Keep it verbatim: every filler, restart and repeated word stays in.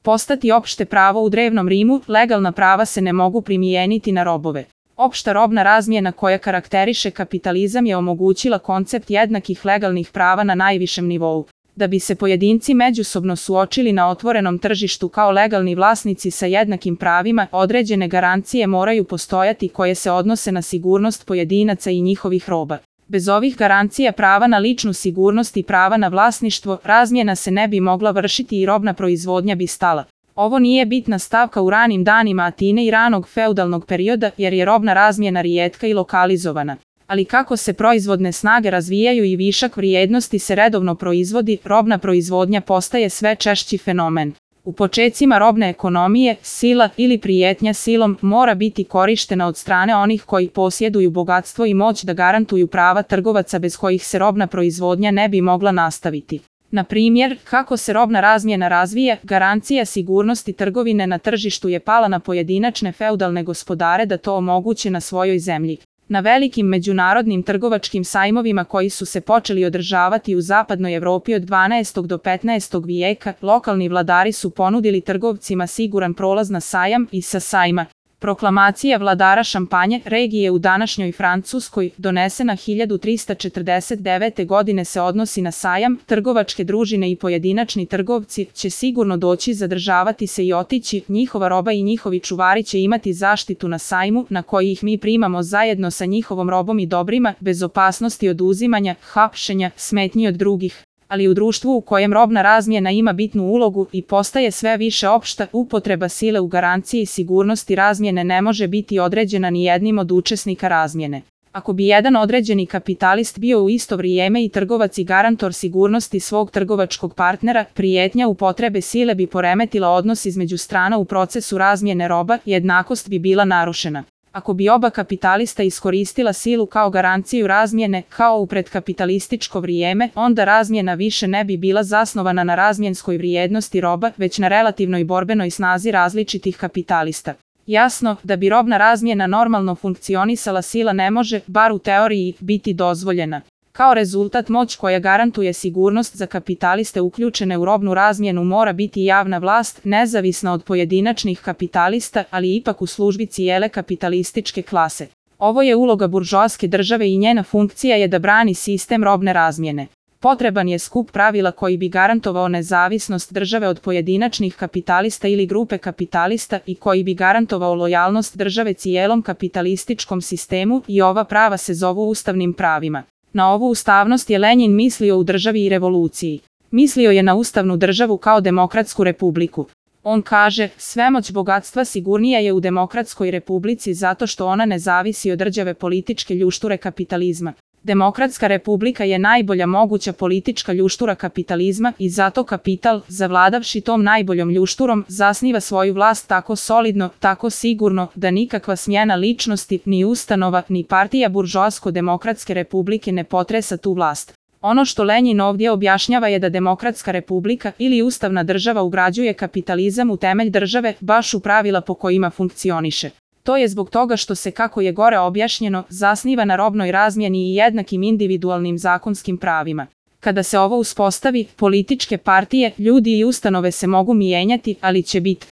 postati opšte pravo u drevnom Rimu, legalna prava se ne mogu primijeniti na robove. Opšta robna razmjena koja karakteriše kapitalizam je omogućila koncept jednakih legalnih prava na najvišem nivou. Da bi se pojedinci međusobno suočili na otvorenom tržištu kao legalni vlasnici sa jednakim pravima, određene garancije moraju postojati koje se odnose na sigurnost pojedinaca i njihovih roba. Bez ovih garancija prava na ličnu sigurnost i prava na vlasništvo, razmjena se ne bi mogla vršiti i robna proizvodnja bi stala. Ovo nije bitna stavka u ranim danima Atine i ranog feudalnog perioda jer je robna razmjena rijetka i lokalizovana. Ali kako se proizvodne snage razvijaju i višak vrijednosti se redovno proizvodi, robna proizvodnja postaje sve češći fenomen. U počecima robne ekonomije, sila ili prijetnja silom mora biti korištena od strane onih koji posjeduju bogatstvo i moć da garantuju prava trgovaca bez kojih se robna proizvodnja ne bi mogla nastaviti. Na primjer, kako se robna razmjena razvija, garancija sigurnosti trgovine na tržištu je pala na pojedinačne feudalne gospodare da to omoguće na svojoj zemlji. Na velikim međunarodnim trgovačkim sajmovima koji su se počeli održavati u zapadnoj Evropi od dvanaestog do petnaestog vijeka, lokalni vladari su ponudili trgovcima siguran prolaz na sajam i sa sajma. Proklamacija vladara Šampanje, regije u današnjoj Francuskoj, donesena hiljadu trista četrdeset devete. godine se odnosi na sajam, trgovačke družine i pojedinačni trgovci će sigurno doći zadržavati se i otići, njihova roba i njihovi čuvari će imati zaštitu na sajmu, na koji ih mi primamo zajedno sa njihovom robom i dobrima, bez opasnosti od uzimanja, hapšenja, smetnji od drugih. Ali u društvu u kojem robna razmjena ima bitnu ulogu i postaje sve više opšta, upotreba sile u garanciji sigurnosti razmjene ne može biti određena ni jednim od učesnika razmjene. Ako bi jedan određeni kapitalist bio u isto vrijeme i trgovac i garantor sigurnosti svog trgovačkog partnera, prijetnja upotrebe sile bi poremetila odnos između strana u procesu razmjene roba, jednakost bi bila narušena. Ako bi oba kapitalista iskoristila silu kao garanciju razmjene, kao u predkapitalističko vrijeme, onda razmjena više ne bi bila zasnovana na razmjenskoj vrijednosti roba, već na relativnoj borbenoj snazi različitih kapitalista. Jasno, da bi robna razmjena normalno funkcionisala sila ne može, bar u teoriji, biti dozvoljena. Kao rezultat moć koja garantuje sigurnost za kapitaliste uključene u robnu razmjenu mora biti javna vlast, nezavisna od pojedinačnih kapitalista, ali ipak u službi cijele kapitalističke klase. Ovo je uloga buržoaske države i njena funkcija je da brani sistem robne razmjene. Potreban je skup pravila koji bi garantovao nezavisnost države od pojedinačnih kapitalista ili grupe kapitalista i koji bi garantovao lojalnost države cijelom kapitalističkom sistemu i ova prava se zovu ustavnim pravima. Na ovu ustavnost je Lenjin mislio u državi i revoluciji. Mislio je na ustavnu državu kao demokratsku republiku. On kaže, svemoć bogatstva sigurnija je u demokratskoj republici zato što ona ne zavisi od rđave političke ljušture kapitalizma. Demokratska republika je najbolja moguća politička ljuštura kapitalizma i zato kapital, zavladavši tom najboljom ljušturom, zasniva svoju vlast tako solidno, tako sigurno, da nikakva smjena ličnosti, ni ustanova, ni partija buržoasko-demokratske republike ne potresa tu vlast. Ono što Lenjin ovdje objašnjava je da demokratska republika ili ustavna država ugrađuje kapitalizam u temelj države, baš u pravila po kojima funkcioniše. To je zbog toga što se, kako je gore objašnjeno, zasniva na robnoj razmjeni i jednakim individualnim zakonskim pravima. Kada se ovo uspostavi, političke partije, ljudi i ustanove se mogu mijenjati, ali će biti